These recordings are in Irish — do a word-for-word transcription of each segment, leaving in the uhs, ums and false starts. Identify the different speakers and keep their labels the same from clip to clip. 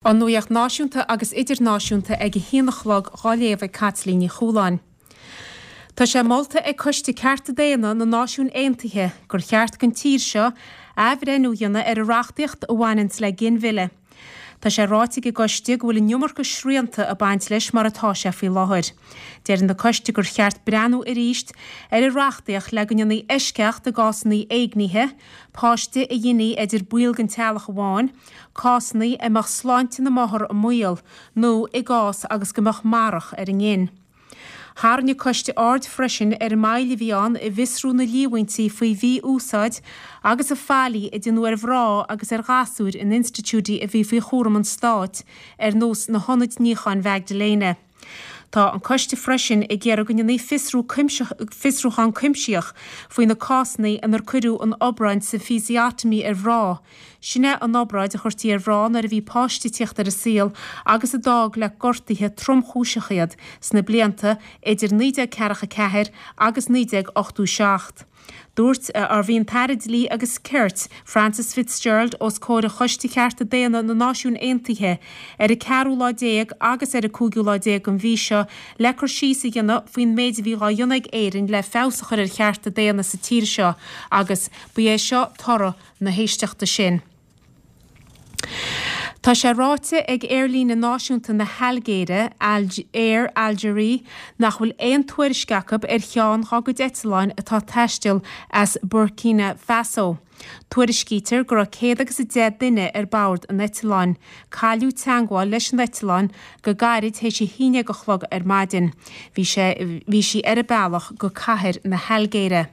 Speaker 1: An nuacht náisiúnta agus idirnáisiúnta ag a haon a chlog á léamh ag Caitlín Ní Chualáin. Tá sé molta ag Coiste Cearta Daonna na Náisiún Aontaithe gur cheart don tír seo athbhreithniú a dhéanamh ar an reachtaíocht a bhaineanns le ginmhilleadh. Tá sé ráite ag an gcoiste go bhfuil an iomarca srianta ag baint leis mar atá sé faoi láthair. Deir an coiste gur cheart breathnú arís ar an reachtaíocht le go ndéanfaí eisceacht i gcásanna éignithe, páiste a ghineadh idir baill den teaghlach amháin, cásanna a mbeadh sláinte na máthar i mbaol, nó i gcás agus go mbeadh marach ar an ngin. Tharraing an coiste aird freisin ar an moill a bhí ann i bhfiosrú na líomhaintí faoi mhí-úsáid agus an faillí a déanadh ar mhná agus ar ghasúir in institiúidí a bhí faoi chúram an stáit, ar nós na hionaid níocháin Mhaigdiléana. Tá an coiste freisin ag iarraidh go ndéanfaí fiosrú fiosrúchán cuimsitheach faoi na cásanna inar cuireadh an obráid symphysiotomy ar mhná. Sin é an obráid a chuirtí ar mhná nuair a bhí páiste ag tíocht ar an saol agus a d'fhág le gortuithe tromchúiseacha iad sna blianta idir naoi déag ceathracha ceathair agus naoi déag ochtó seacht. Dúirt ar bhí an tAire Dlí agus Cirt, Frances Fitzgerald os comhair Choiste Chearta Daonna na Náisiún Aontaithe ar an ceathrú lá déag agus ar an cúigiú lá déag den mhí seo le cur síos a dhéanamh faoin méid a bhí á dhéanamh ag Éirinn le feabhas a chur ar chearta daonna sa tír seo agus ba é seo toradh na héisteachta sin. Tá sé ráite ag aerlíne náisiúnta na hAilgéire, Air Algérie, nach bhfuil aon tuairisc acu ar cheann dá gcuid eitleáin atá ag taisteal as Burkina Faso. Tuairiscítear go raibh céad agus a deich duine ar bord an eitleáin. Cailleadh teagmháil leis an eitleán go gairid théis a haon déag a chlog ar maidin. Bhí sé bhí sí ar a bealach go cathair na hAilgéire.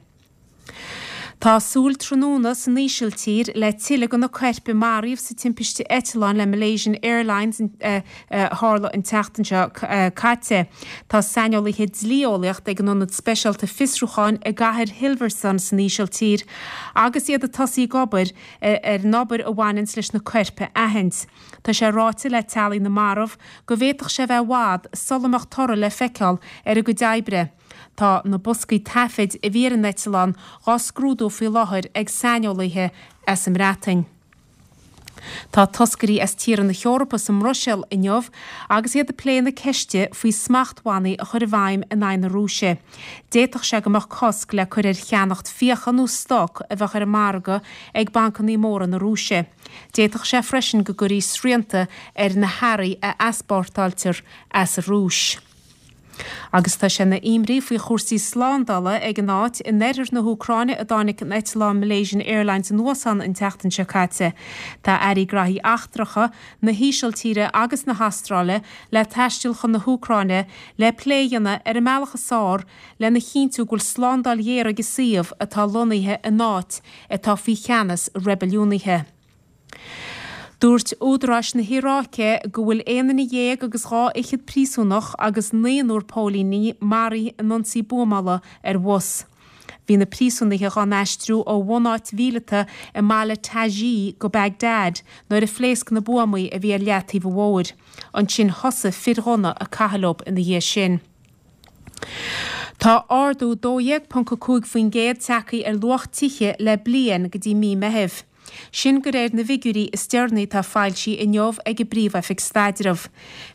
Speaker 1: Tá súil tráthnóna san Ísiltír le tuilleadh de na coirp a maraíodh sa timpiste eitleáin le Malaysian Airlines a tharla an tseachtain seo caite. Tá saineolaithe dlí-eolaíochta ag an Ionad Speisialta Fiosrúcháin i gcathair Hilversum san Ísiltír agus iad ag tosaí ag obair ar an obair a bhaineanns leis na coirp a aithint. Tá sé ráite le teaghlaigh na marbh go bhféadfadh sé bheith i bhfad sula mbeadh toradh le feiceáil ar a gcuid oibre. Tá na boscaí taifid a bhí ar an eitleán á scrúdú faoi láthair ag saineolaithe as an mBreatain. Tá toscairí as tíortha na hEorpa sa mBruiséil inniu agus iad ag plé na ceiste faoi smachtbhannaí a chur i bhfeidhm in aghaidh na Rúise. D'fhéadfadh sé go mbeadh cosc le cur ar cheannacht fiacha nó stoc a bheadh ar an margadh ag bancanna móra na Rúise. D'fhéadfadh sé freisin go gcuirfí srianta ar na hearraí a easpórtáiltear as an Rúis. Agus tá sé ina imní faoi chúrsaí slándála ag an áit in oirthear na hÚcráine a dtáinig an eitleán Malaysian Airlines anuas ann an tseachtain seo caite. Tá airí graithí eachtracha na hÍsiltíre agus na hAstráile le taisteal chun na hÚcráine le plé a dhéanamh ar an mbealach is fearr lena chinntiú go bhfuil slándáil ghéar ag an suíomh atá lonnaithe in áit atá faoi cheannas reibiliúnaithe. Dúirt údaráis na hIaráice go bhfuil aon duine dhéag agus dhá fhichead príosúnach agus naonúr póilíní maraithe in ionsaí buamála ar bhus. Bhí na príosúnaithe á n-aistriú ó bhunáit mhíleata i mbaile Taji go Bagdad nuair a phléasc na buamaí a bhí ar leataobh an bhóthair. Ansin thosaigh fir ghunna ag caitheamh leo ina dhiaidh sin. Tá ardú dó dhéag ponc a cúig faoin gcéad tagtha ar luach tithe le bliain go dtí mí Meithimh. Sin de réir na bhfigiúirí is deireanaí atá foilsithe inniu ag an bPríomh-Oifig Staidrimh.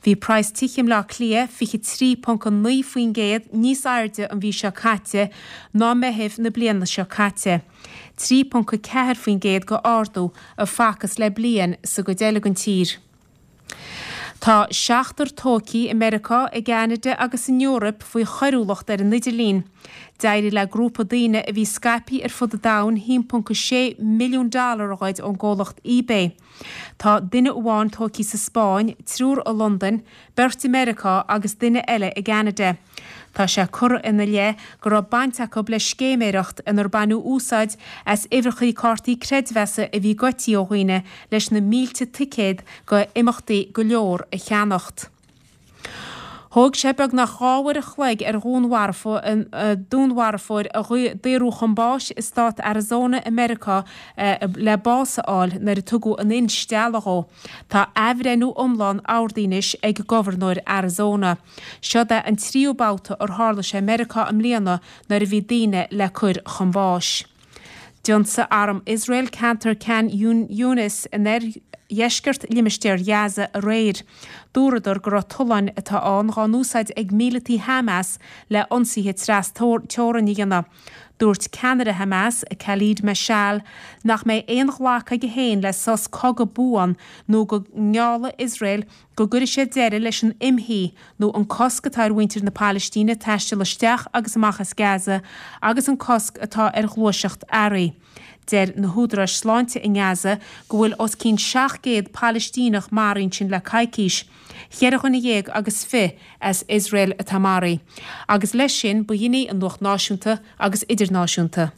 Speaker 1: Bhí praghas tithe i mBleá Cliath fiche trí ponc a naoi faoin gcéad níos airde an mhí seo caite ná Meitheamh na bliana seo caite. trí ponc a ceathair faoin gcéad de ardú a facthas le bliain sa gcuid eile den tír. Tá seachtar tógtha i Meiriceá, i gCeanada agus san Eoraip faoi choiriúlacht ar an idirlíon. D'éirigh le grúpa daoine a bhí scaipthe ar fud an domhain a haon ponc a sé milliún dollar a ghoid ón gcomhlacht eBay. Tá duine amháin tógtha sa Spáinn, triúr i Londain, beirt i Meiriceá agus duine eile i gCeanada. Tá sé curtha ina leith go raibh baint acu le scéiméireacht inar baineadh úsáid as uimhreacha cártaí creidmheasa a bhí goidte ó dhaoine leis na mílte ticéad go imeachtaí go leor a cheannacht. Thóg sé beagnach dhá uair a chloig ar dhúnmharfóir a daoradh chun báis i stát Arizona i Meiriceá le bás a fháil nuair a tugadh an instealladh dhó. Tá athbhreithniú iomlán ordaithe anois ag gobharnóir Arizona. Seo é an tríú babhta ar tharla sé i Meiriceá i mbliana nuair a bhí daoine le cur chun báis. D'ionsaigh arm Iosrael ceantar Khan Younis in dheisceart limistéar Ghaza aréir. Dúradar go raibh tolláin atá ann dhá n-úsáid ag míleataigh Hamas le ionsaithe trasteorann a dhéanamh. Dúirt ceannaire Hamas, Khalid Mashal, nach mbeidh aon ghlacadh aige féin le sos cogaidh buan nó go ngeallfaidh Iosrael go gcuirfidh sé deireadh leis an imshuí nó an cosc atá ar mhuintir na Palaistíne taisteal isteach agus amach as Gaza agus an cosc atá ar ghluaiseacht earraí. Deir na húdaráis sláinte i nGaza go bhfuil os cionn seacht gcéad Palaistíneach maraithe ansin le coicís. Ceithre dhuine dhéag agus fiche as Iosrael atá maraithe. Agus leis sin, ba shin í an nuacht náisiúnta agus idirnáisiúnta.